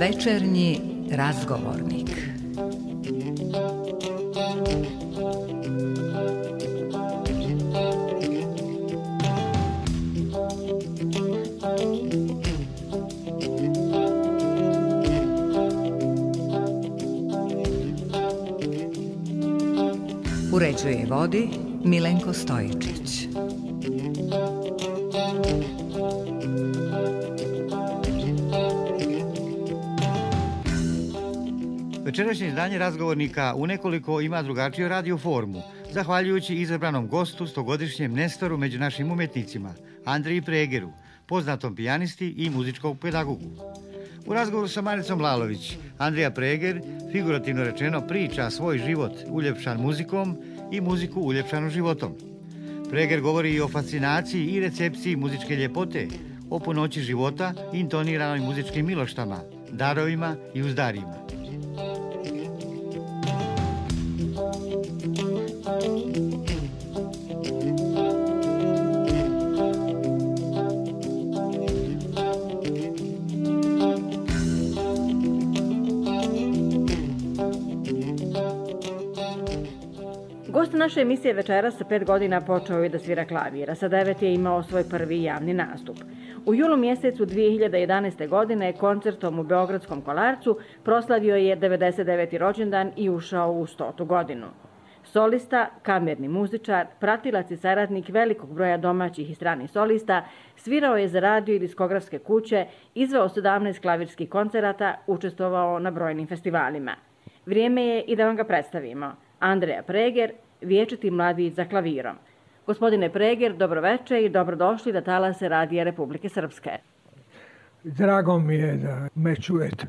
Večernji razgovornik. Uređuje i vodi Milenko Stojičić. Večerašnje izdanje razgovornika u nekoliko ima drugačiju radio formu, zahvaljujući izabranom gostu, stogodišnjem nestoru među našim umjetnicima, Andriji Pregeru, poznatom pijanisti i muzičkog pedagogu. U razgovoru sa Maricom Lalović, Andrija Preger, figurativno rečeno, priča svoj život uljepšan muzikom i muziku uljepšanu životom. Preger govori i o fascinaciji i recepciji muzičke ljepote, o punoći života i intoniranoj muzičkim miloštama, darovima i uzdarima. Gost naše emisije večeras sa 5 godina počeo je da svira klavir, a sa 9 je imao svoj prvi javni nastup. U julu mjesecu 2011. godine koncertom u Beogradskom Kolarcu proslavio je 99. rođendan i ušao u 100. godinu. Solista, kamerni muzičar, pratilac i saradnik velikog broja domaćih i stranih solista, svirao je za radio i diskografske kuće, izveo 17 klavirskih koncerata, učestvovao na brojnim festivalima. Vrijeme je i da vam ga predstavimo. Andrija Preger, vječiti mladić za klavirom. Gospodine Preger, dobroveče i dobrodošli na talase Radija Republike Srpske. Drago mi je da me čujete.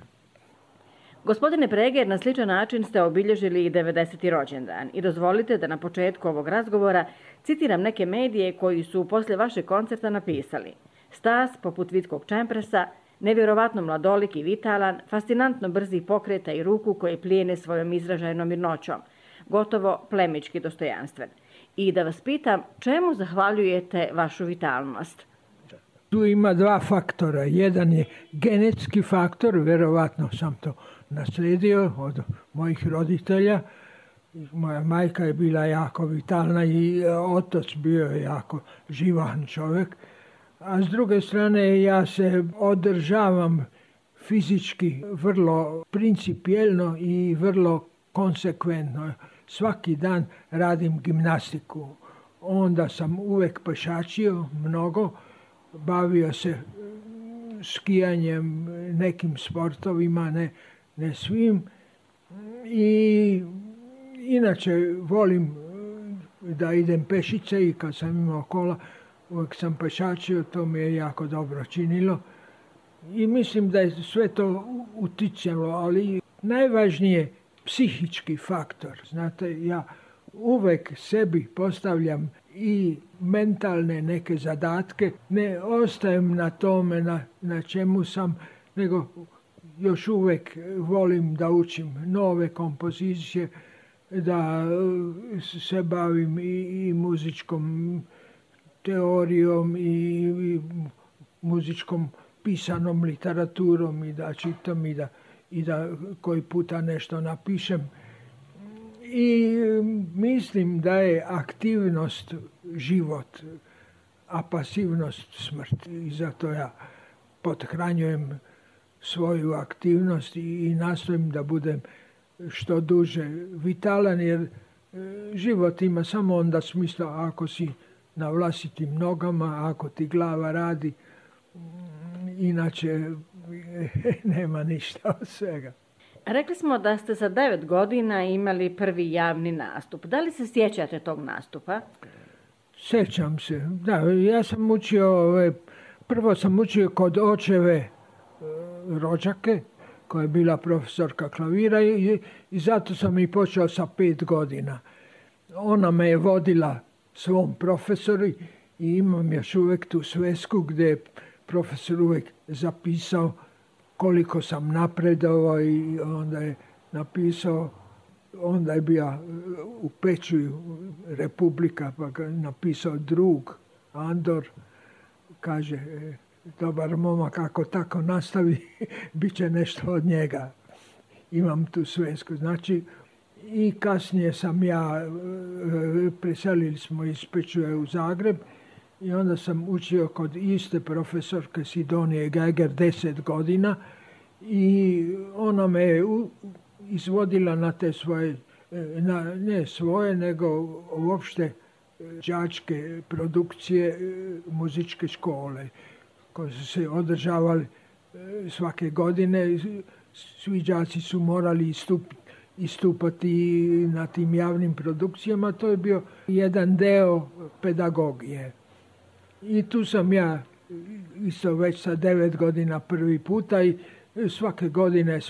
Gospodine Preger, na sličan način ste obilježili i 90. rođendan i dozvolite da na početku ovog razgovora citiram neke medije koji su poslije vašeg koncerta napisali: Stas poput vitkog čempresa, nevjerovatno mladolik i vitalan, fascinantno brzih pokreta i ruku koje plijene svojom izražajnom mirnoćom, gotovo plemički dostojanstven. I da vas pitam, čemu zahvaljujete vašu vitalnost? Tu ima dva faktora. Jedan je genetski faktor, vjerovatno sam to naslijedio od mojih roditelja. Moja majka je bila jako vitalna i otac bio je jako živahan čovjek. A s druge strane ja se održavam fizički vrlo principijelno i vrlo konsekventno. Svaki dan radim gimnastiku. Onda sam uvijek pešačio mnogo, bavio se skijanjem, nekim sportovima, ne svim. I inače volim da idem pešice i kad sam imao kola, uvijek sam pešačio, to mi je jako dobro činilo. I mislim da je sve to uticalo, ali najvažnije psihički faktor. Znate, ja uvijek sebi postavljam i mentalne neke zadatke, ne ostajem na tome na čemu sam, nego još uvijek volim da učim nove kompozicije, da se bavim i muzičkom teorijom i muzičkom pisanom literaturom i da čitam i da koji puta nešto napišem. I mislim da je aktivnost život, a pasivnost smrt. I zato ja pothranjujem svoju aktivnost i nastojim da budem što duže vitalan, jer život ima samo onda smisla ako si na vlastitim nogama, ako ti glava radi, inače nema ništa od svega. Rekli smo da ste sa 9 godina imali prvi javni nastup. Da li se sjećate tog nastupa? Sjećam se. Da, ja sam učio, prvo sam učio kod očeve rođake, koja je bila profesorka klavira i zato sam i počeo sa 5 godina. Ona me je vodila svom profesoru i imam još uvijek tu svesku gdje je profesor uvijek zapisao koliko sam napredovao i onda je napisao, onda je bio u Pečuju Republika, pa ga napisao drug Andor, kaže dobar momak, ako tako nastavi, bit će nešto od njega. Imam tu svesku. Znači, i kasnije sam preselili smo iz Pečuje u Zagreb i onda sam učio kod iste profesorke Sidonije Geiger 10 godina i ona me je izvodila na te svoje, ne svoje, nego uopšte đačke produkcije muzičke škole koje su se održavali svake godine. Svi đaci su morali istupati na tim javnim produkcijama. To je bio jedan deo pedagogije. I tu sam ja isto već sa 9 godina prvi puta i svake godine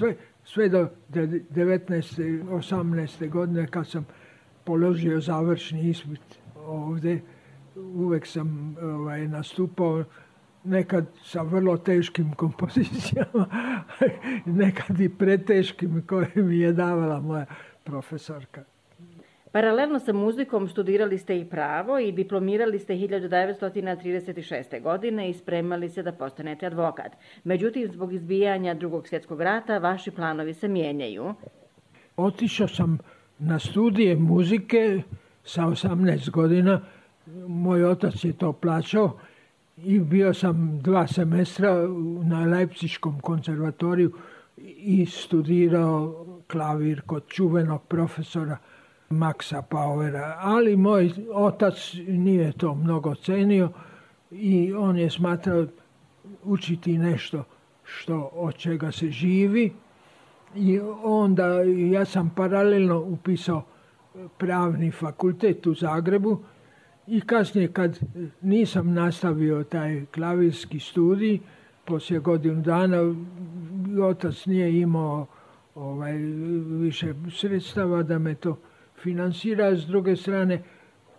sve do 19. 18. godine kad sam položio završni ispit ovdje, uvek sam nastupao, nekad sa vrlo teškim kompozicijama, nekad i preteškim koje mi je davala moja profesorka. Paralelno sa muzikom studirali ste i pravo i diplomirali ste 1936. godine i spremali se da postanete advokat. Međutim, zbog izbijanja Drugog svjetskog rata, vaši planovi se mijenjaju. Otišao sam na studije muzike sa 18 godina. Moj otac je to plaćao i bio sam 2 semestra na Leipziškom konzervatoriju i studirao klavir kod čuvenog profesora Maxa Pauera. Ali moj otac nije to mnogo cenio i on je smatrao učiti nešto od čega se živi. I onda ja sam paralelno upisao pravni fakultet u Zagrebu i kasnije kad nisam nastavio taj klavirski studij, poslije godinu dana otac nije imao više sredstava da me to finansira. S druge strane,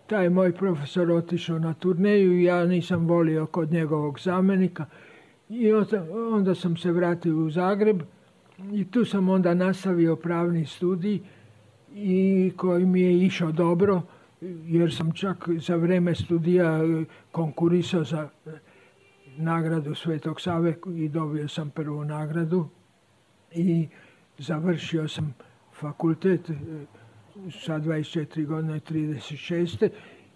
taj moj profesor otišao na turneju i ja nisam volio kod njegovog zamjenika. I onda sam se vratio u Zagreb i tu sam onda nastavio pravni studij i koji mi je išao dobro, jer sam čak za vrijeme studija konkurisao za nagradu Svetog Save i dobio sam prvu nagradu i završio sam fakultet sa 24 godine 36.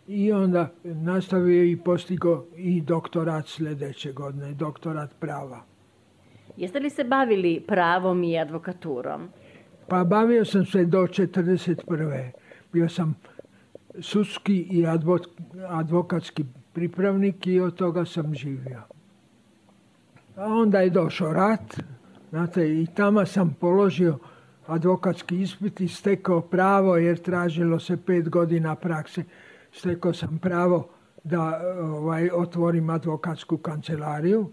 I onda nastavio i postigao i doktorat sljedeće godine, doktorat prava. Jeste li se bavili pravom i advokaturom? Pa bavio sam se do 1941. Bio sam sudski i advokatski pripravnik i od toga sam živio. A onda je došao rat, znate, i tamo sam položio advokatski ispit i stekao pravo, jer tražilo se 5 godina prakse. Stekao sam pravo da otvorim advokatsku kancelariju.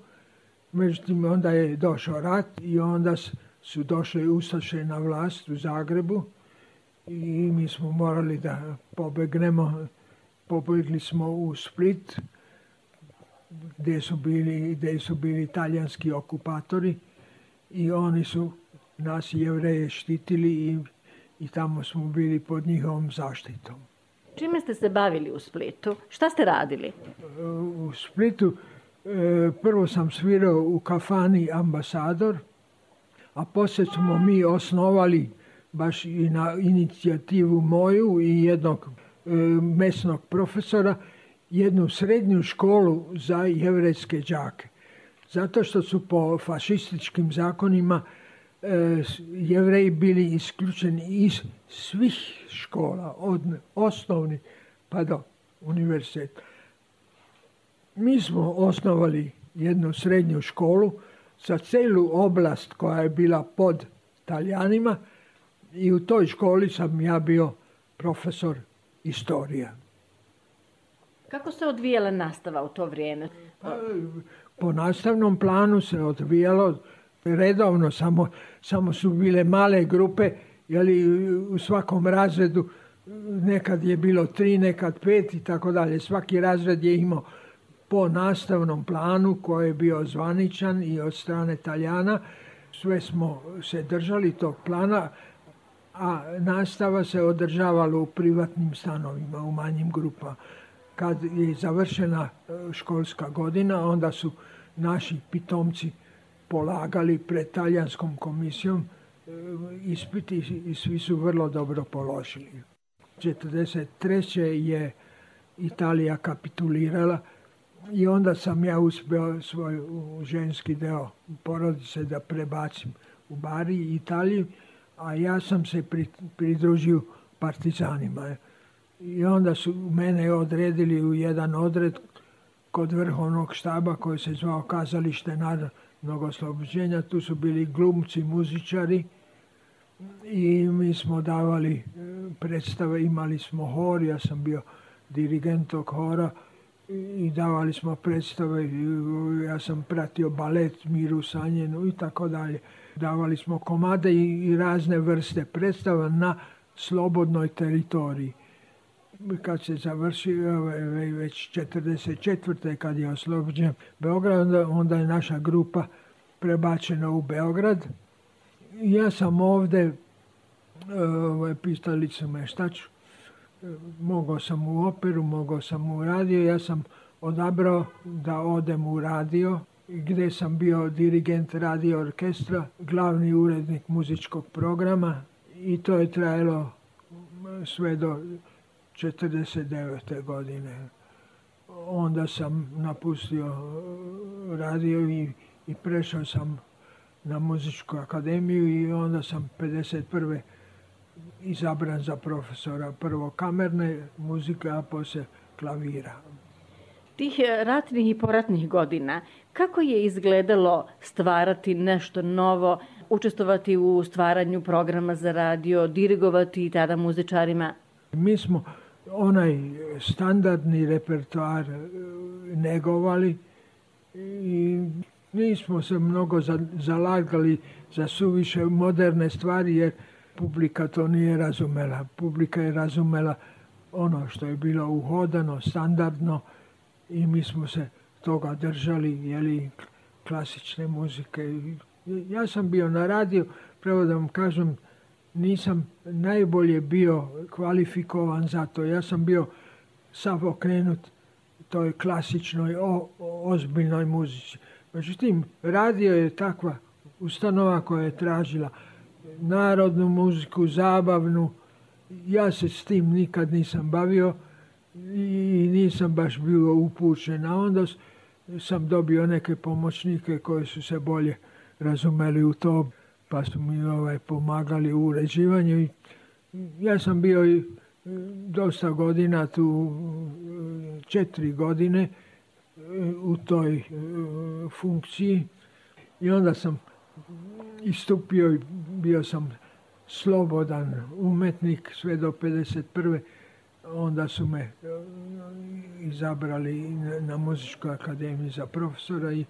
Međutim, onda je došao rat i onda su došle ustaše na vlast u Zagrebu i mi smo morali da pobegnemo. Pobegli smo u Split, gdje su bili talijanski okupatori i oni su nas Jevreje štitili i tamo smo bili pod njihovom zaštitom. Čime ste se bavili u Splitu? Šta ste radili? U Splitu prvo sam svirao u kafani Ambasador, a poslije smo mi osnovali baš i na inicijativu moju i jednog mesnog profesora jednu srednju školu za jevrejske đake. Zato što su po fašističkim zakonima Jevreji bili isključeni iz svih škola, od osnovnih pa do univerziteta. Mi smo osnovali jednu srednju školu za celu oblast koja je bila pod Talijanima i u toj školi sam ja bio profesor istorija. Kako se odvijala nastava u to vrijeme? Po nastavnom planu se odvijalo redovno, samo su bile male grupe, u svakom razredu nekad je bilo 3, nekad 5 i tako dalje. Svaki razred je imao po nastavnom planu koji je bio zvaničan i od strane Talijana. Sve smo se držali tog plana, a nastava se održavala u privatnim stanovima, u manjim grupama. Kad je završena školska godina, onda su naši pitomci polagali pred talijanskom komisijom ispiti i svi su vrlo dobro položili. 1943. je Italija kapitulirala i onda sam ja uspio svoj ženski deo porodice da prebacim u Bari, Italiji, a ja sam se pridružio partizanima. I onda su mene odredili u jedan odred kod vrhovnog štaba koji se zvao Kazalište narodnog oslobođenja. Tu su bili glumci, muzičari i mi smo davali predstave, imali smo hor, ja sam bio dirigent tog hora i davali smo predstave, ja sam pratio balet Miru Sanjenu i tako dalje. Davali smo komade i razne vrste predstava na slobodnoj teritoriji. Kad se završio već 1944. kad je oslobođen Beograd, onda je naša grupa prebačena u Beograd. Ja sam ovde, pitali su me šta ću, mogao sam u operu, mogao sam u radio, ja sam odabrao da odem u radio, gdje sam bio dirigent radio orkestra, glavni urednik muzičkog programa i to je trajalo sve do 1949. godine. Onda sam napustio radio i prešao sam na muzičku akademiju i onda sam 1951. izabran za profesora prvo kamerne muzike, a poslije klavira. Tih ratnih i poratnih godina, kako je izgledalo stvarati nešto novo, učestvovati u stvaranju programa za radio, dirigovati tada muzičarima? Mi smo onaj standardni repertoar negovali i nismo se mnogo zalagali za suviše moderne stvari jer publika to nije razumela. Publika je razumela ono što je bilo uhodano, standardno i mi smo se toga držali, jeli, klasične muzike. Ja sam bio na radiju, pravo da vam kažem, nisam najbolje bio kvalifikovan za to. Ja sam bio sav okrenut toj klasičnoj, ozbiljnoj muzici. Međutim, radio je takva ustanova koja je tražila narodnu muziku, zabavnu. Ja se s tim nikad nisam bavio i nisam baš bio upućen. A onda sam dobio neke pomoćnike koji su se bolje razumeli u to, pa su mi pomagali u uređivanju. Ja sam bio dosta godina tu, 4 godine u toj funkciji i onda sam istupio i bio sam slobodan umetnik sve do 1951. Onda su me izabrali na Muzičkoj akademiji za profesora i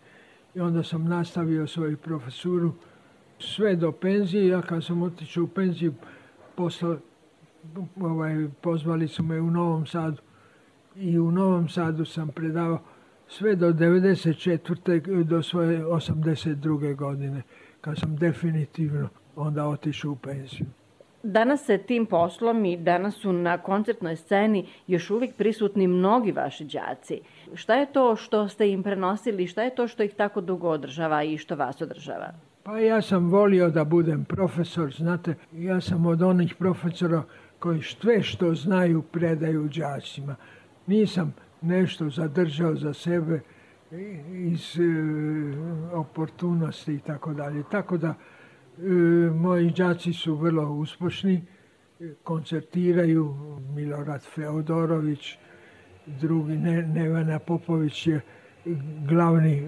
onda sam nastavio svoju profesuru sve do penzije. Ja kad sam otišao u penziju, pozvali su me u Novom Sadu i u Novom Sadu sam predavao sve do 1994. do svoje 1982. godine, kad sam definitivno onda otišao u penziju. Danas se tim poslom i danas su na koncertnoj sceni još uvijek prisutni mnogi vaši đaci. Šta je to što ste im prenosili, šta je to što ih tako dugo održava i što vas održava? Pa ja sam volio da budem profesor, znate, ja sam od onih profesora koji sve što znaju predaju đacima. Nisam nešto zadržao za sebe iz oportunosti i tako dalje. Tako da moji đaci su vrlo uspješni, koncertiraju. Milorad Feodorović, drugi Nevena Popović je glavni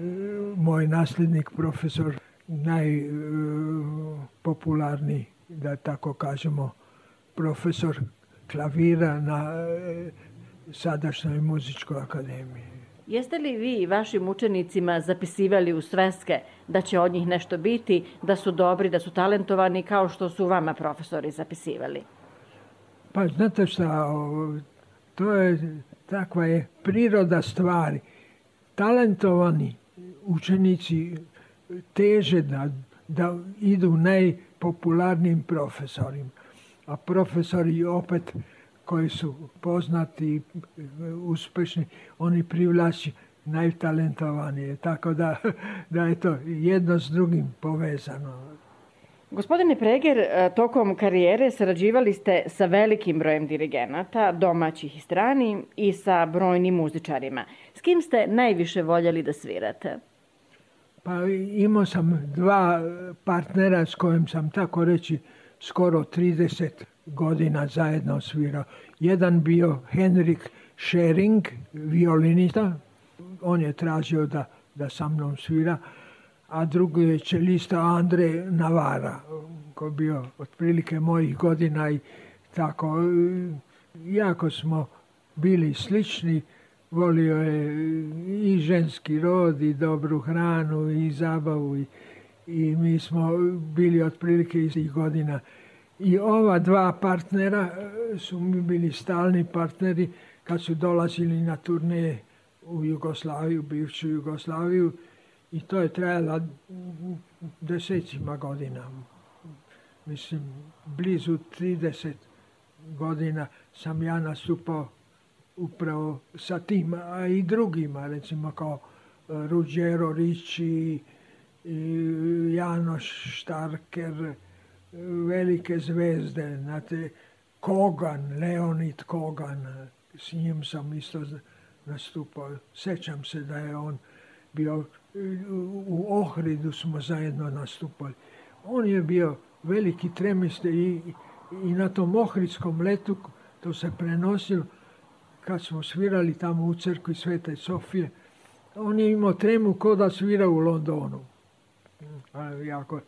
moj nasljednik, profesor, najpopularniji, da tako kažemo, profesor klavira na sadašnjoj Muzičkoj akademiji. Jeste li vi vašim učenicima zapisivali u sveske da će od njih nešto biti, da su dobri, da su talentovani, kao što su vama profesori zapisivali? Pa znate šta, to je, takva je priroda stvari. Talentovani učenici teže da idu najpopularnijim profesorima, a profesori opet koji su poznati, uspješni, oni privlači najtalentovanije. Tako da je to jedno s drugim povezano. Gospodine Preger, tokom karijere sarađivali ste sa velikim brojem dirigenata, domaćih i stranih, i sa brojnim muzičarima. S kim ste najviše voljeli da svirate? Pa imao sam dva partnera s kojim sam, tako reći, skoro 30 godina zajedno svirao. Jedan bio Henrik Schering, violinista. On je tražio da sa mnom svira. A drugi je čelista Andre Navara, koji je bio otprilike mojih godina i tako. Jako smo bili slični. Volio je i ženski rod, i dobru hranu, i zabavu. I mi smo bili otprilike istih godina. I ova dva partnera su mi bili stalni partneri kad su dolazili na turneje u Jugoslaviju, bivšu Jugoslaviju. I to je trajalo desecima godina. Mislim, blizu 30 godina sam ja nastupao upravo sa tim, a i drugima, recimo kao Ruggero Ricci, Janoš Štarker, velike zvezde, znate, Kogan, Leonid Kogan, s njim sam isto nastupao. Sećam se da je on bio, u Ohridu smo zajedno nastupali. On je bio veliki tremiste i na tom ohridskom letu, to se prenosilo, kad smo svirali tamo u crkvi Svete Sofije, on je imao tremu ko da svira u Londonu. Jako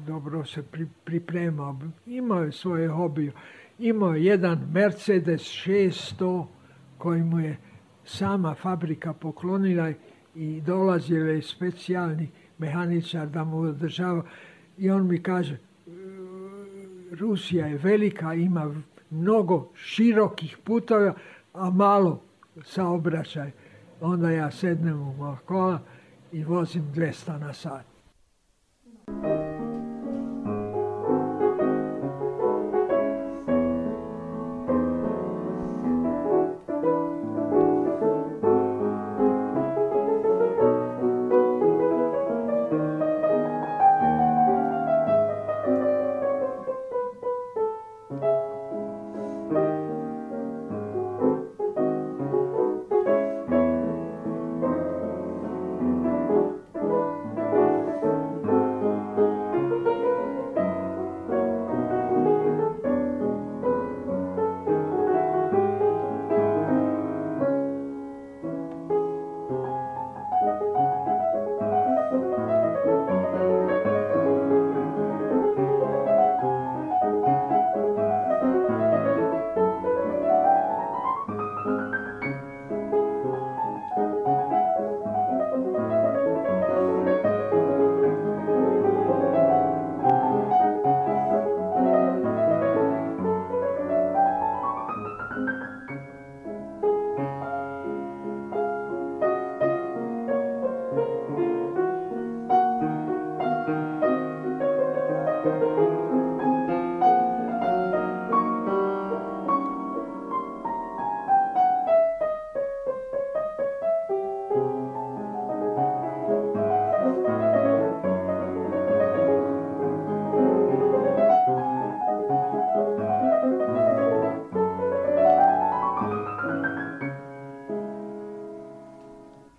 dobro se pripremao. Imao je svoje hobije. Imao je jedan Mercedes 600 koji mu je sama fabrika poklonila i dolazio je specijalni mehaničar da mu održava. I on mi kaže, Rusija je velika, ima mnogo širokih putova, a malo saobraćaj. Onda ja sednem u moja kola i vozim 200 na sat.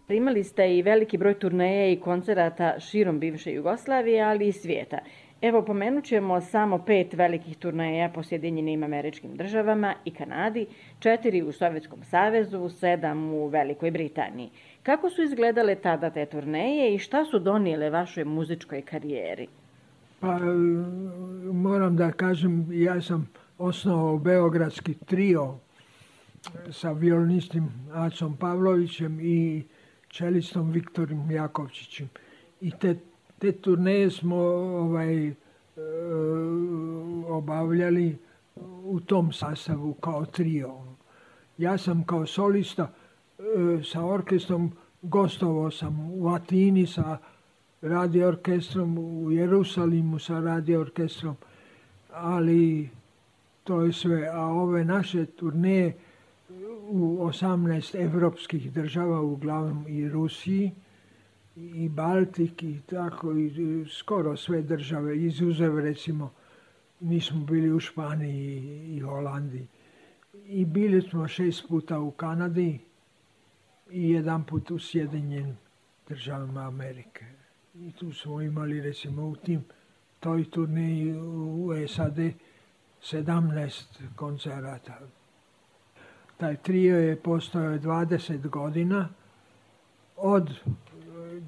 Imali ste i veliki broj turneja i koncerata širom bivše Jugoslavije, ali i svijeta. Evo, pomenut ćemo samo 5 velikih turneja po Sjedinjenim Američkim Državama i Kanadi, 4 u Sovjetskom savezu, 7 u Velikoj Britaniji. Kako su izgledale tada te turneje i šta su donijele vašoj muzičkoj karijeri? Pa, moram da kažem, ja sam osnovao beogradski trio sa violinistom Acom Pavlovićem i čelistom Viktorom Jakovčićem. I te turneje smo obavljali u tom sastavu kao trio. Ja sam kao solista sa orkestrom gostovao sam u Atini sa radio orkestrom, u Jerusalimu sa radio orkestrom, ali to je sve. A ove naše turneje u 18 evropskih država, uglavnom i Rusiji, i Baltik, i tako, i skoro sve države, izuzev recimo, nismo bili u Španiji i Holandiji. I bili smo 6 puta u Kanadi i 1 put u Sjedinjenim državama Amerike. I tu smo imali recimo u toj turneji u SAD 17 koncerata. Taj trio je postojao 20 godina, od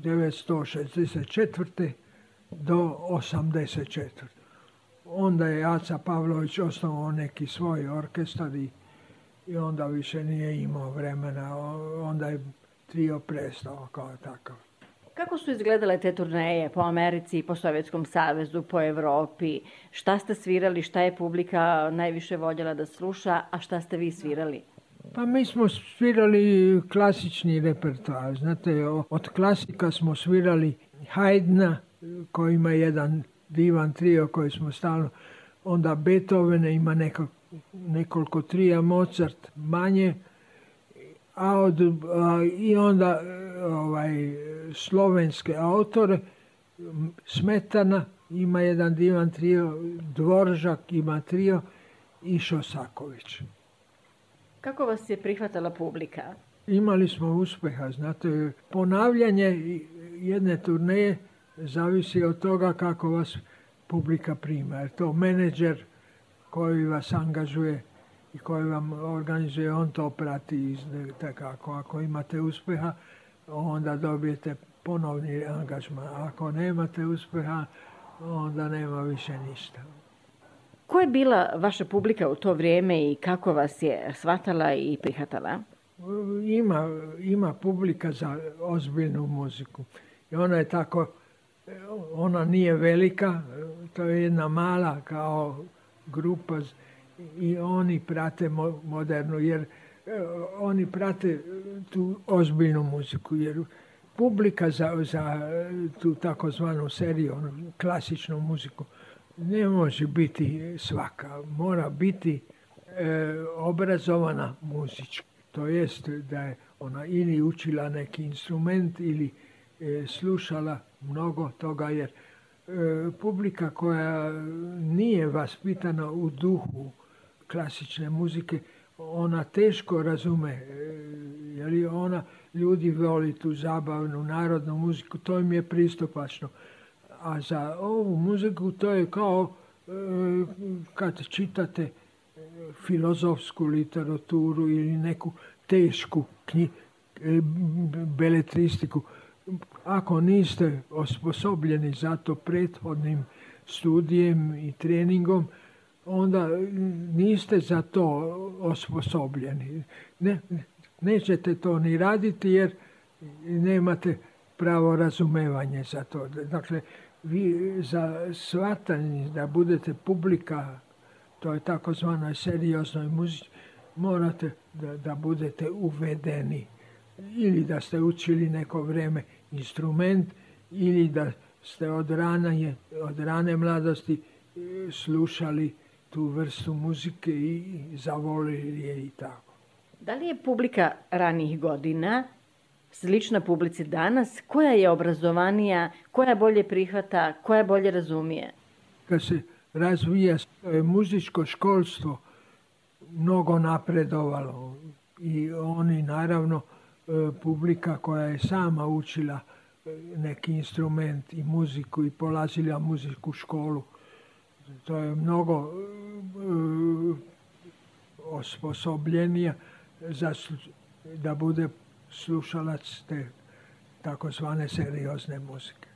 1964. do 1984. Onda je Aca Pavlović osnovao neki svoj orkestar i onda više nije imao vremena. Onda je trio prestao kao takav. Kako su izgledale te turneje po Americi, po Sovjetskom savezu, po Evropi? Šta ste svirali, šta je publika najviše voljela da sluša, a šta ste vi svirali? Pa mi smo svirali klasični repertoar. Znate, od klasika smo svirali Haydna, koji ima jedan divan trio koji smo stalno, onda Beethovena ima nekoliko trija, Mozart manje, i onda slovenske autore, Smetana ima jedan divan trio, Dvoržak ima trio i Šosaković. Kako vas je prihvatala publika? Imali smo uspeha, znate, ponavljanje jedne turneje zavisi od toga kako vas publika prima. Jer to menadžer koji vas angažuje i koji vam organizuje, on to prati. Tako, ako imate uspeha, onda dobijete ponovni angažman. Ako nemate uspeha, onda nema više ništa. Ko je bila vaša publika u to vrijeme i kako vas je shvatala i prihvatala? Ima publika za ozbiljnu muziku. I ona je tako, ona nije velika, to je jedna mala kao grupa i oni prate modernu, jer oni prate tu ozbiljnu muziku, jer publika za tu takozvanu seriju, klasičnu muziku, ne može biti svaka. Mora biti obrazovana muzički. To jest da je ona ili učila neki instrument ili slušala mnogo toga, jer publika koja nije vaspitana u duhu klasične muzike, ona teško razume, jer ona ljudi voli tu zabavnu narodnu muziku, to im je pristupačno. A za ovu muziku to je kao kad čitate filozofsku literaturu ili neku tešku beletristiku. Ako niste osposobljeni za to prethodnim studijem i treningom, onda niste za to osposobljeni. Nećete to ni raditi jer nemate pravo razumevanje za to. Dakle, vi za shvatanje da budete publika, to je takozvanoj serioznoj muzici, morate da budete uvedeni. Ili da ste učili neko vrijeme instrument, ili da ste od rane mladosti slušali tu vrstu muzike i zavolili je i tako. Da li je publika ranijih godina slična publici danas? Koja je obrazovanija, koja bolje prihvata, koja bolje razumije? Kad se razvija muzičko školstvo, mnogo napredovalo i oni naravno publika koja je sama učila neki instrument i muziku i polazila muzičku školu, to je mnogo osposobljenija da bude slušalac te takozvane seriozne muzike.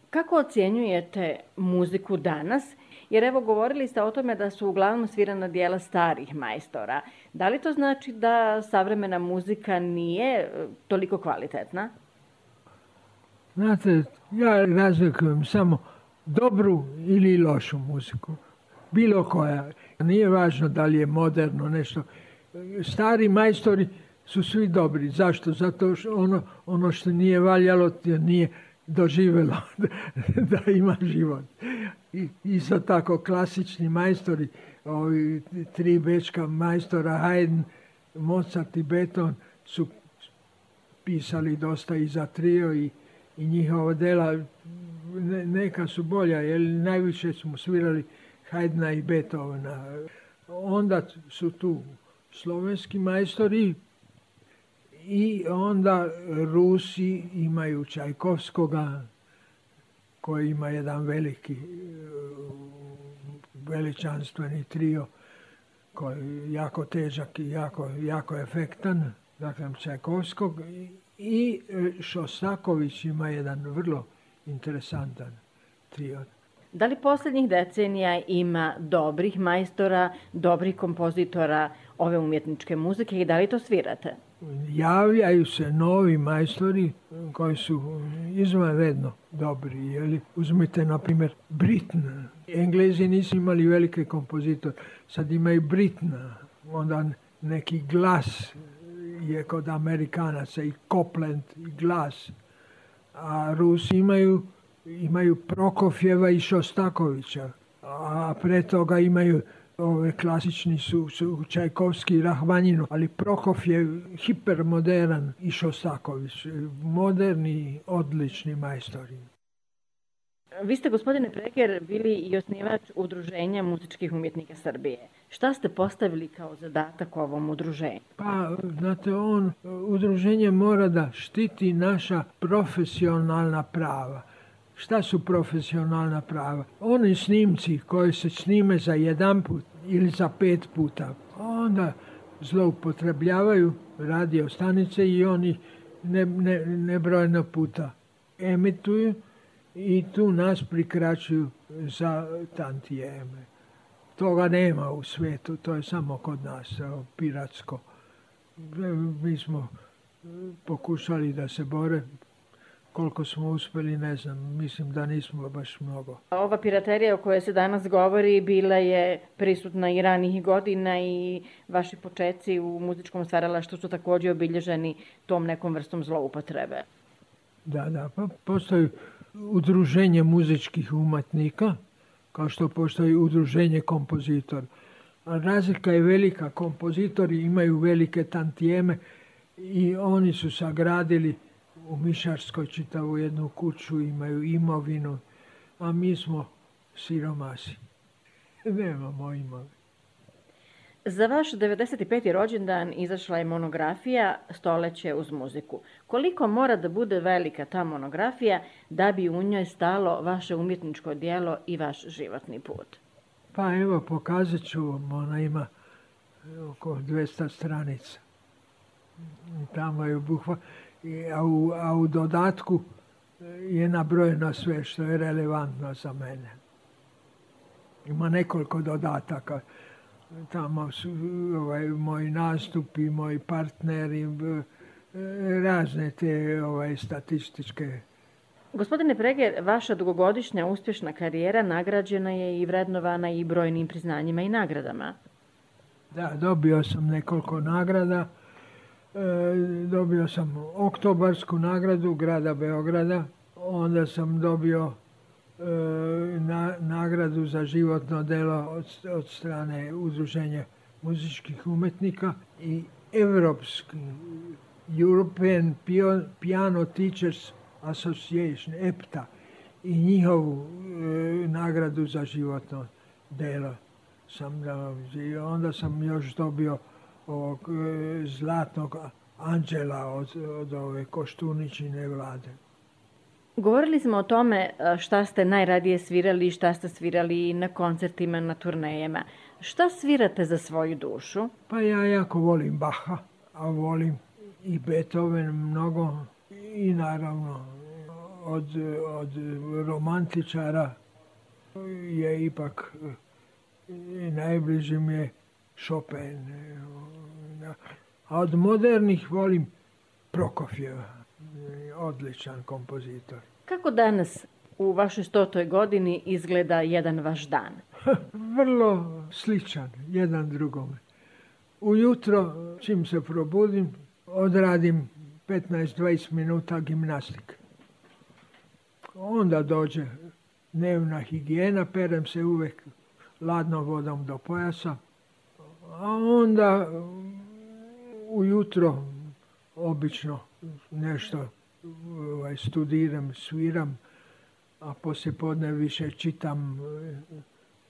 Kako ocjenjujete muziku danas? Jer evo govorili ste o tome da su uglavnom svirana dijela starih majstora. Da li to znači da savremena muzika nije toliko kvalitetna? Znate, ja razlikujem samo dobru ili lošu muziku. Bilo koja. Nije važno da li je moderno nešto. Stari majstori su svi dobri. Zašto? Zato što ono što nije valjalo nije doživjelo da ima život. Isto tako klasični majstori, ovi 3 bečka majstora, Haydn, Mozart i Beethoven su pisali dosta i za trio i njihova dela neka su bolja, jer najviše smo svirali Haydna i Beethovena. Onda su tu slovenski majstori i onda Rusi imaju Čajkovskoga, koji ima jedan veliki, veličanstveni trio koji je jako težak i jako efektan. Dakle, Čajkovskog i Šostaković ima jedan vrlo interesantan trio. Da li posljednjih decenija ima dobrih majstora, dobrih kompozitora ove umjetničke muzike i da li to svirate? Javljaju se novi majstori koji su izvanredno dobri. Jeli? Uzmite, na primjer, Britten. Englezi nisu imali velike kompozitore, sad imaju Brittena. Onda neki glas je kod Amerikanaca i Copland i glas. A Rusi imaju Prokofjeva i Šostakovića, a pre toga imaju ove klasični su Čajkovski i Rahmanjinov, ali Prokofjev hipermodern i Šostaković, moderni, odlični majstori. Vi ste, gospodine Preger, bili i osnivač Udruženja muzičkih umjetnika Srbije. Šta ste postavili kao zadatak ovom udruženju? Pa, znate, udruženje mora da štiti naša profesionalna prava. Šta su profesionalna prava? Oni snimci koji se snime za 1 put ili za 5 puta, onda zloupotrebljavaju radio stanice i oni nebrojeno puta emituju i tu nas prikraćuju za tantijeme. Toga nema u svijetu, to je samo kod nas, piratsko. Mi smo pokušali da se bore. Koliko smo uspjeli, ne znam, mislim da nismo baš mnogo. Ova piraterija o kojoj se danas govori bila je prisutna i ranijih godina i vaši počeci u muzičkom stvaralaštvu su također obilježeni tom nekom vrstom zloupotrebe. Da, pa postoji udruženje muzičkih umetnika, kao što postoji udruženje kompozitora. A razlika je velika, kompozitori imaju velike tantijeme i oni su sagradili u Mišarskoj čitavu jednu kuću, imaju imovinu, a mi smo siromasi. Nemamo imovinu. Za vaš 95. rođendan izašla je monografija Stoleće uz muziku. Koliko mora da bude velika ta monografija da bi u njoj stalo vaše umjetničko djelo i vaš životni put? Pa evo, pokazat ću vam, ona ima oko 200 stranica. Tamo je obuhvat. A u dodatku je nabrojeno sve što je relevantno za mene. Ima nekoliko dodataka. Tamo su moji nastupi, moji partneri, razne te statističke. Gospodine Preger, vaša dugogodišnja uspješna karijera nagrađena je i vrednovana i brojnim priznanjima i nagradama. Da, dobio sam nekoliko nagrada. Dobio sam Oktobarsku nagradu grada Beograda, onda sam dobio nagradu za životno delo od strane Udruženja muzičkih umetnika i Evropski European Piano Teachers Association, EPTA, i njihovu nagradu za životno delo sam dobio. I onda sam još dobio ovog Zlatnog anđela od ove Koštuničine vlade. Govorili smo o tome šta ste najradije svirali i šta ste svirali na koncertima, na turnejama. Šta svirate za svoju dušu? Pa ja jako volim Bacha, a volim i Beethoven mnogo i naravno od romantičara je ipak najbliži mi je Chopin. A od modernih volim Prokofjeva, odličan kompozitor. Kako danas u vašoj 100. godini izgleda jedan vaš dan? Vrlo sličan, jedan drugome. Ujutro, čim se probudim, odradim 15-20 minuta gimnastike. Onda dođe dnevna higijena, perem se uvek ladnom vodom do pojasa, a onda ujutro obično nešto studiram, sviram, a poslijepodne više čitam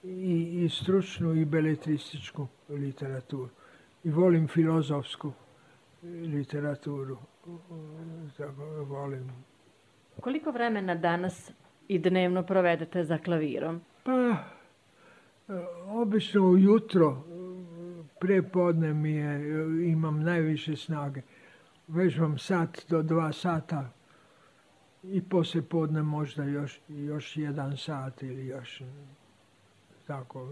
i stručnu i beletrističku literaturu. I volim filozofsku literaturu. Tako volim. Koliko vremena danas i dnevno provedete za klavirom? Pa, obično ujutro, prepodne imam najviše snage. Vežbam sat do 2 sata i poslije podne možda još 1 sat ili još tako.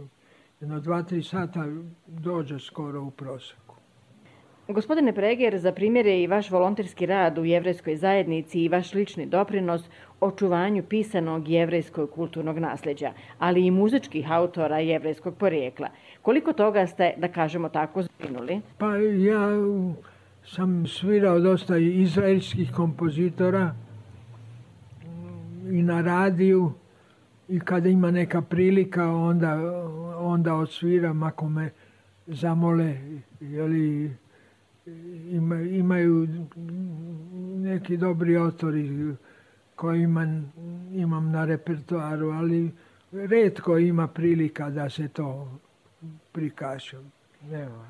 2-3 sata dođe skoro u prosjeku. Gospodine Preger, za primjer je i vaš volonterski rad u jevrejskoj zajednici i vaš lični doprinos očuvanju pisanog jevrejskog kulturnog nasljeđa, ali i muzičkih autora jevrejskog porijekla. Koliko toga ste, da kažemo tako, zbrinuli? Pa ja sam svirao dosta izraelskih kompozitora i na radiju i kada ima neka prilika onda odsviram ako me zamole, jeli imaju neki dobri autori koji imam na repertoaru, ali retko ima prilika da se to prikaže. Nema.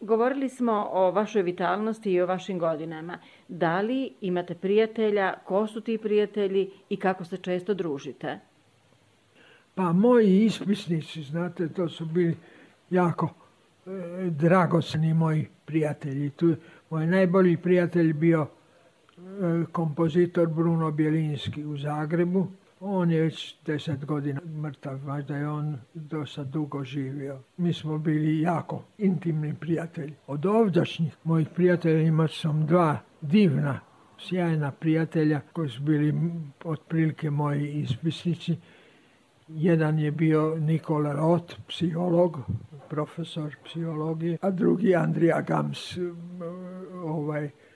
Govorili smo o vašoj vitalnosti i o vašim godinama. Da li imate prijatelja, ko su ti prijatelji i kako se često družite? Pa moji ispisnici, znate, to su bili jako dragocjeni moji prijatelji. Tu moj najbolji prijatelj bio kompozitor Bruno Bjelinski u Zagrebu. On je već 10 godina mrtav, možda je on dosta dugo živio. Mi smo bili jako intimni prijatelji. Od ovdašnjih mojih prijatelja imao sam 2 divna, sjajna prijatelja koji su bili otprilike moji ispisnici. Jedan je bio Nikola Roth, psiholog, profesor psihologije, a drugi Andrija Gams,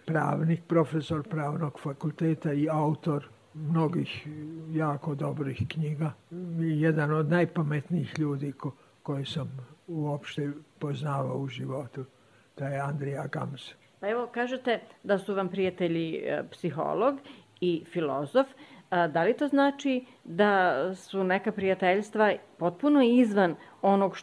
pravnik, profesor pravnog fakulteta i autor mnogih jako dobrih knjiga. Jedan od najpametnijih ljudi koje sam uopšte poznavao u životu, to je Andrija Gams. Pa evo, kažete da su vam prijatelji psiholog i filozof. Da li to znači da su neka prijateljstva potpuno izvan onog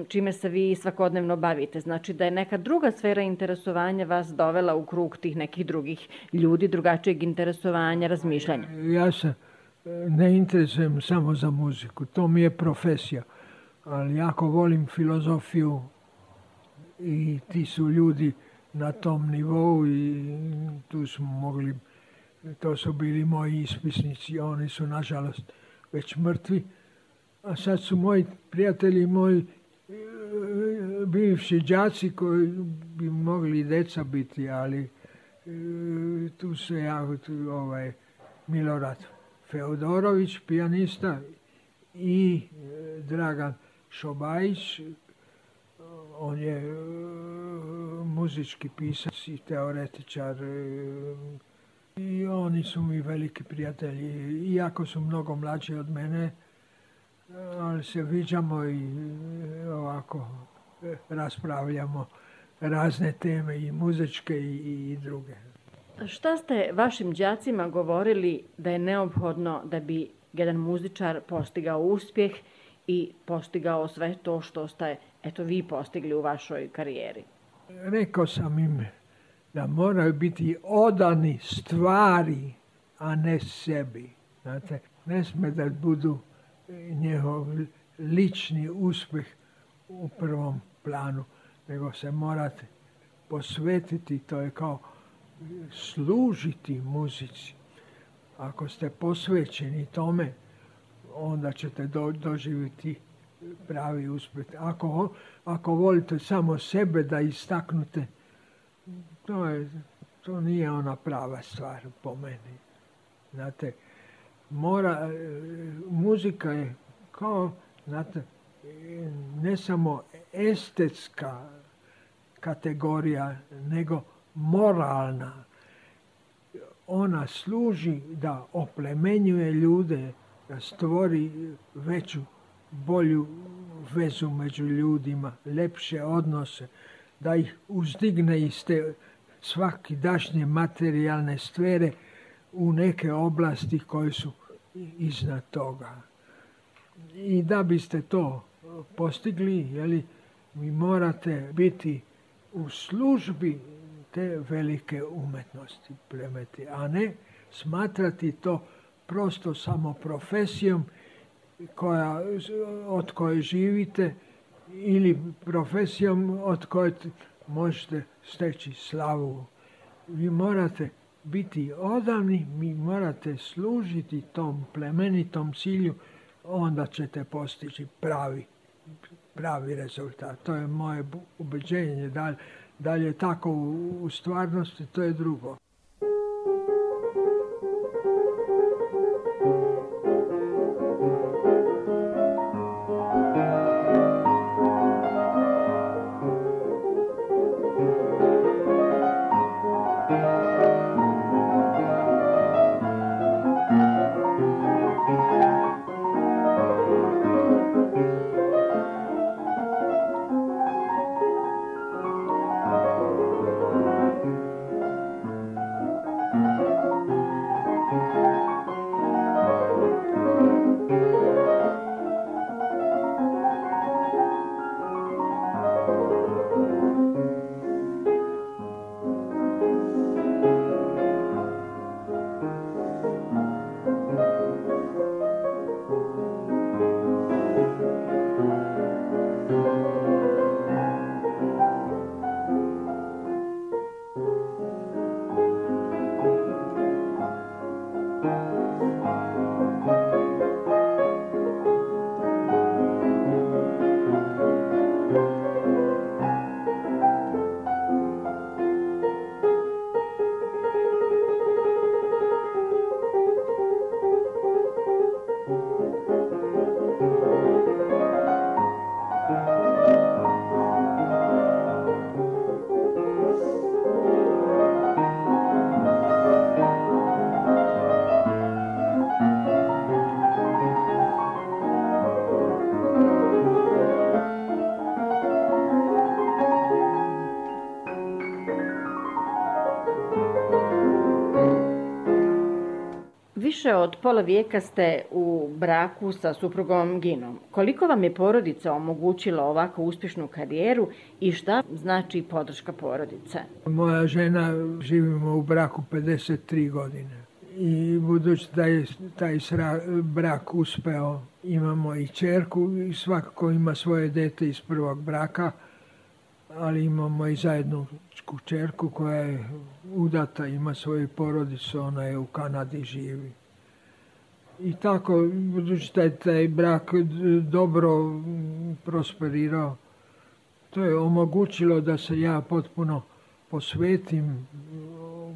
čime se vi svakodnevno bavite? Znači da je neka druga sfera interesovanja vas dovela u krug tih nekih drugih ljudi, drugačijeg interesovanja, razmišljanja? Ja se ne interesujem samo za muziku, to mi je profesija, ali jako volim filozofiju i ti su ljudi na tom nivou i tu smo mogli. To su bili moji ispisnici, oni su nažalost već mrtvi. A sad su moji prijatelji, moji bivši đaci koji bi mogli deca biti, ali tu se Milorad Feodorović, pijanista, i Dragan Šobajić. On je muzički pisac i teoretičar. I oni su mi veliki prijatelji, iako su mnogo mlađi od mene, ali se viđamo i ovako raspravljamo razne teme i muzičke i druge. Šta ste vašim đacima govorili da je neophodno da bi jedan muzičar postigao uspjeh i postigao sve to što ste vi postigli u vašoj karijeri? Rekao sam im da moraju biti odani stvari, a ne sebi. Znate, ne sme da budu njihov lični uspjeh u prvom planu, nego se morate posvetiti, to je kao služiti muzici. Ako ste posvećeni tome, onda ćete doživjeti pravi uspjeh. Ako volite samo sebe da istaknute, to nije ona prava stvar po meni. Znate, muzika je kao, znate, ne samo estetska kategorija, nego moralna. Ona služi da oplemenjuje ljude, da stvori veću, bolju vezu među ljudima, lepše odnose, da ih uzdigne iz te svakidašnje materijalne sfere u neke oblasti koje su iznad toga. I da biste to postigli, vi morate biti u službi te velike umetnosti plemeti, a ne smatrati to prosto samo profesijom od koje živite ili profesijom od koje možete steći slavu. Vi morate biti odavni, vi morate služiti tom plemenitom cilju, onda ćete postići pravi rezultat. To je moje ubeđenje. Da li je tako u stvarnosti, to je drugo. Više od pola vijeka ste u braku sa suprugom Ginom. Koliko vam je porodica omogućila ovako uspješnu karijeru i šta znači podrška porodice? Moja žena, živimo u braku 53 godine. I budući da je taj brak uspeo, imamo i ćerku i svakako ima svoje dete iz prvog braka, ali imamo i zajedničku ćerku koja je udata, ima svoju porodicu, ona je u Kanadi živi. I tako, budući da je taj brak dobro prosperirao, to je omogućilo da se ja potpuno posvetim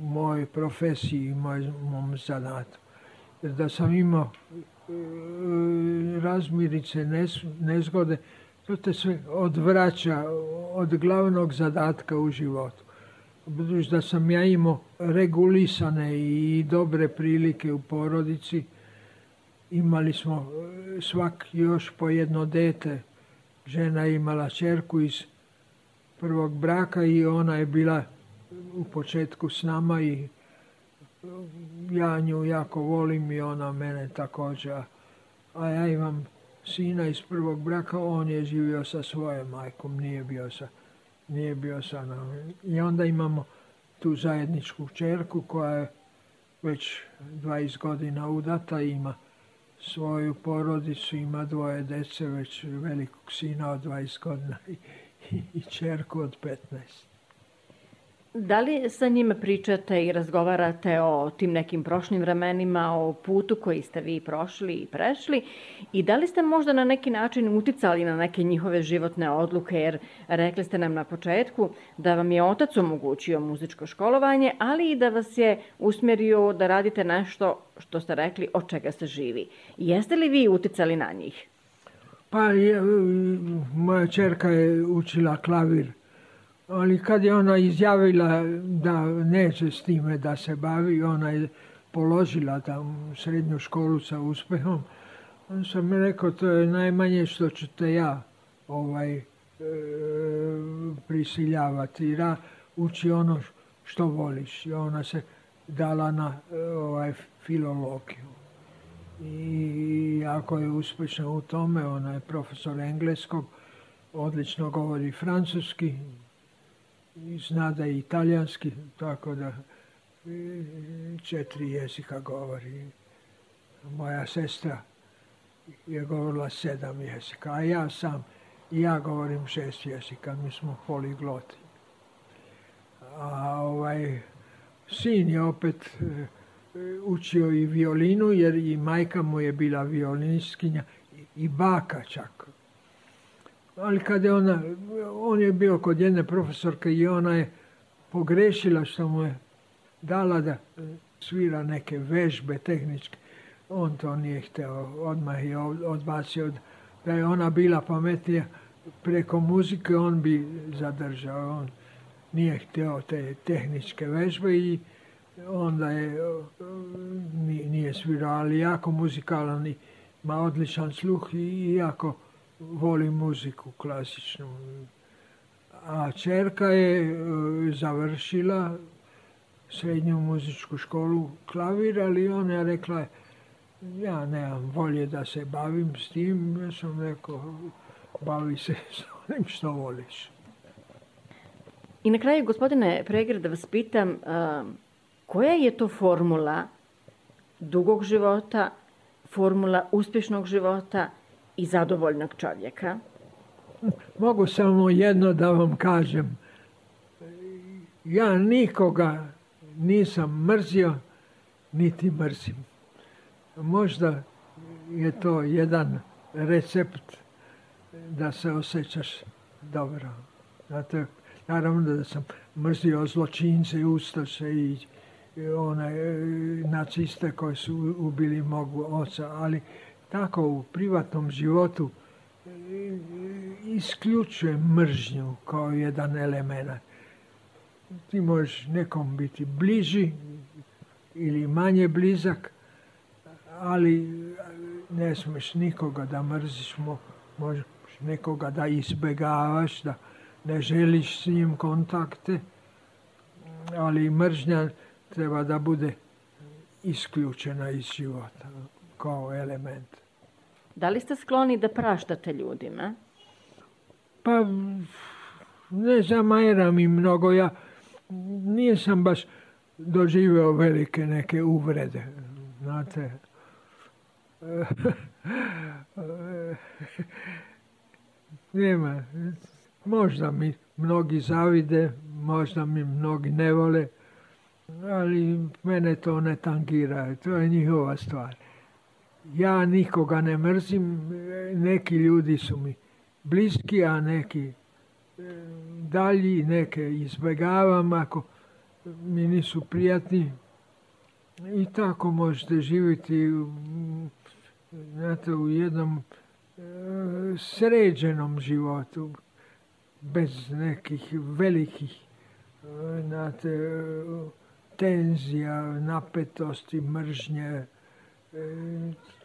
mojoj profesiji i mom zanatu. Jer da sam imao razmirice, nezgode, to te sve odvraća od glavnog zadatka u životu. Budući da sam ja imao regulisane i dobre prilike u porodici, imali smo svak još po jedno dete. Žena je imala ćerku iz prvog braka i ona je bila u početku s nama i ja nju jako volim i ona mene također. A ja imam sina iz prvog braka, on je živio sa svojom majkom, nije bio sa nama. I onda imamo tu zajedničku ćerku koja je već 20 godina udata, ima svoju porodicu, ima 2 djece, već velikog sina od 20 godina i ćerku od 15. Da li sa njima pričate i razgovarate o tim nekim prošlim vremenima, o putu koji ste vi prošli i prešli i da li ste možda na neki način uticali na neke njihove životne odluke, jer rekli ste nam na početku da vam je otac omogućio muzičko školovanje, ali i da vas je usmjerio da radite nešto što ste rekli od čega se živi. Jeste li vi uticali na njih? Pa moja ćerka je učila klavir. Ali kad je ona izjavila da neće s time da se bavi, ona je položila tam srednju školu sa uspjehom, on sam rekao, to je najmanje što ćete ja prisiljavati. Uči ono što voliš. I ona se dala na filologiju. I jako je uspješna u tome. Ona je profesor engleskog, odlično govori francuski, zna da je italijanski, tako da 4 jezika govori. Moja sestra je govorila 7 jezika, a ja govorim 6 jezika, mi smo poligloti. A sin je opet učio i violinu, jer i majka mu je bila violinistkinja i baka čak. Ali kad je on je bio kod jedne profesorke i ona je pogrešila što mu je dala da svira neke vežbe tehničke. On to nije htio, odmah je odbacio. Da je ona bila pametnija preko muzike, on bi zadržao. On nije htio te tehničke vežbe i onda nije svirao, ali jako muzikalan, ima odličan sluh i jako voli muziku klasičnu. A čerka je završila srednju muzičku školu klavir, ali ona je rekla, ja nemam volje da se bavim s tim. Ja sam rekao, bavi se s onim što voliš. I na kraju, gospodine Praeger, da vas pitam, koja je to formula dugog života, formula uspješnog života i zadovoljnog čovjeka? Mogu samo jedno da vam kažem. Ja nikoga nisam mrzio, niti mrzim. Možda je to jedan recept da se osjećaš dobro. Znate, naravno da sam mrzio zločince i ustaše i naciste koji su ubili mog oca, ali tako u privatnom životu isključujem mržnju kao jedan element. Ti možeš nekom biti bliži ili manje blizak, ali ne smiješ nikoga da mrziš, možeš nekoga da izbjegavaš, da ne želiš s njim kontakte, ali mržnja treba da bude isključena iz života kao element. Da li ste skloni da praštate ljudima? Pa ne zamajeram im mnogo. Ja nisam baš doživio velike neke uvrede. Znate, nema. Možda mi mnogi zavide, možda mi mnogi ne vole, ali mene to ne tangira. To je njihova stvar. Ja nikoga ne mrzim, neki ljudi su mi bliski, a neki dalji, neke izbjegavam ako mi nisu prijatni. I tako možete živjeti u jednom sređenom životu, bez nekih velikih tenzija, napetosti, mržnje.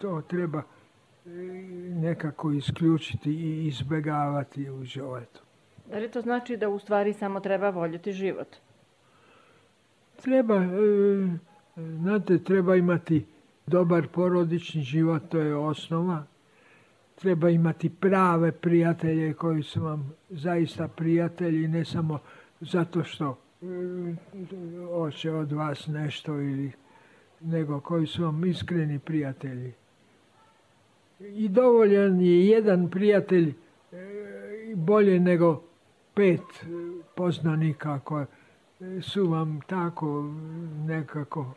To treba nekako isključiti i izbjegavati u životu. Da li to znači da u stvari samo treba voljeti život? Treba imati dobar porodični život, to je osnova. Treba imati prave prijatelje koji su vam zaista prijatelji, ne samo zato što hoće od vas nešto, nego koji su vam iskreni prijatelji. I dovoljan je jedan prijatelj bolje nego 5 poznanika koji su vam tako nekako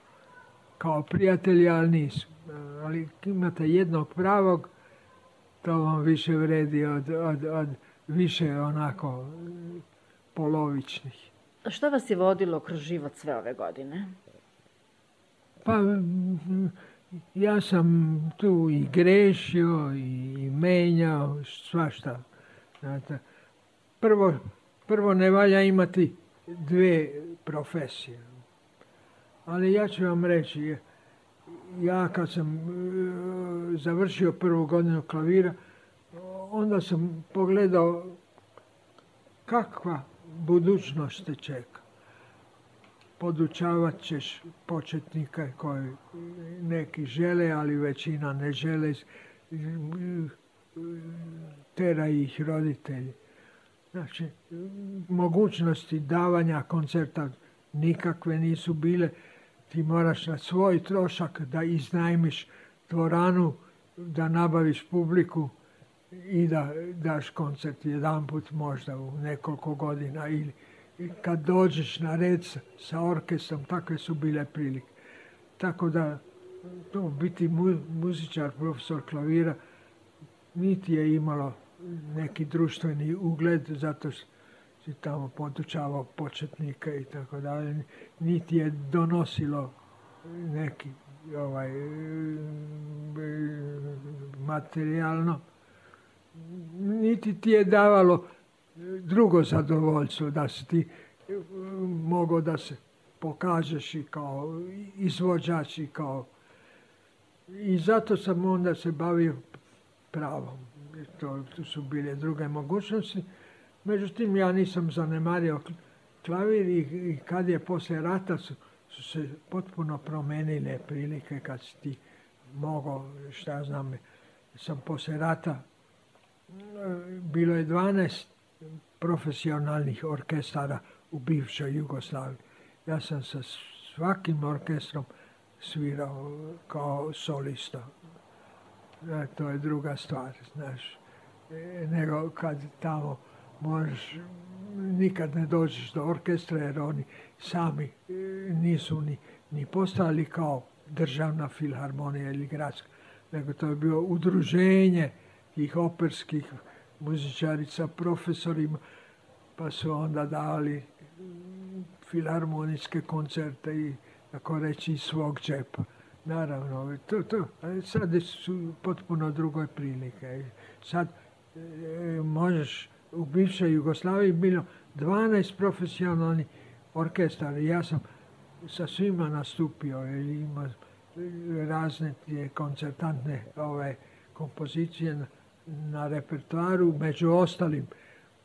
kao prijatelji, ali nisu. Ali imate jednog pravog, to vam više vredi od više onako polovičnih. Što vas je vodilo kroz život sve ove godine? Pa ja sam tu i grešio i menjao svašta. Znate, prvo ne valja imati 2 profesije. Ali ja ću vam reći, ja kad sam završio 1. godinu klavira, onda sam pogledao kakva budućnost te čeka. Podučavat ćeš početnika koji neki žele, ali većina ne žele, tera ih roditelji. Znači, mogućnosti davanja koncerta nikakve nisu bile. Ti moraš na svoj trošak da iznajmiš dvoranu, da nabaviš publiku i da daš koncert jedanput možda u nekoliko godina. Ili kad dođeš na red sa orkestrom, takve su bile prilike. Tako da biti muzičar, profesor klavira, niti je imalo neki društveni ugled, zato što si tamo podučavao početnike i tako dalje, niti je donosilo neki materijalno, niti ti je davalo drugo zadovoljstvo, da si ti mogao da se pokažeš i kao izvođač i kao... I zato sam onda se bavio pravom. To su bile druge mogućnosti. Međutim, ja nisam zanemario klavir i kad je poslije rata su se potpuno promenile prilike kad si ti mogao, šta znam, sam poslije rata, bilo je 12 profesionalnih orkestara u bivšoj Jugoslaviji. Ja sam sa svakim orkestrom svirao kao solista. To je druga stvar, znaš. Nego kad tamo možeš, nikad ne dođeš do orkestra jer oni sami nisu ni postali kao državna filharmonija ili gradska, nego to je bilo udruženje tih operskih muzičarica, profesorima, pa su onda dali filharmonijske koncerte i, tako reći, iz svog džepa. Naravno, sad su potpuno druge prilike. Sad možeš, u bivšoj Jugoslaviji bilo 12 profesionalnih orkestara. Ja sam sa svima nastupio, ima razne koncertantne kompozicije na repertoaru, među ostalim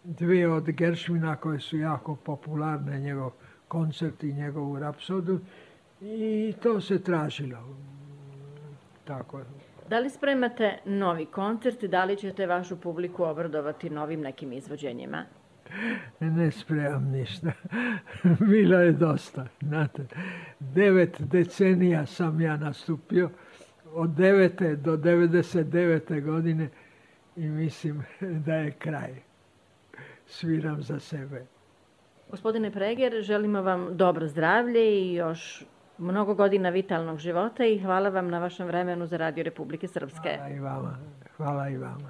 2 od Gershwina koje su jako popularne, njegov koncert i njegovu rapsodu, i to se tražilo. Tako. Da li spremate novi koncert i da li ćete vašu publiku obradovati novim nekim izvođenjima? Ne spremam ništa. Bilo je dosta. Znate, 9 decenija sam ja nastupio, od 9. do 99. godine, i mislim da je kraj. Sviram za sebe. Gospodine Preger, želimo vam dobro zdravlje i još mnogo godina vitalnog života i hvala vam na vašem vremenu za Radio Republike Srpske. Hvala i vama. Hvala i vama.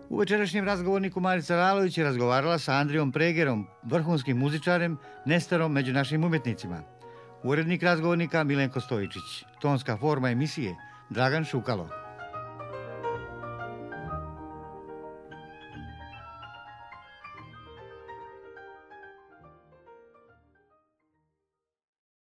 U večerašnjem razgovorniku Marica Lalović je razgovarala sa Andrijom Pregerom, vrhunskim muzičarem, nestarom među našim umjetnicima. Urednik razgovornika Milenko Stojičić. Tonska forma emisije Dragan Šukalo.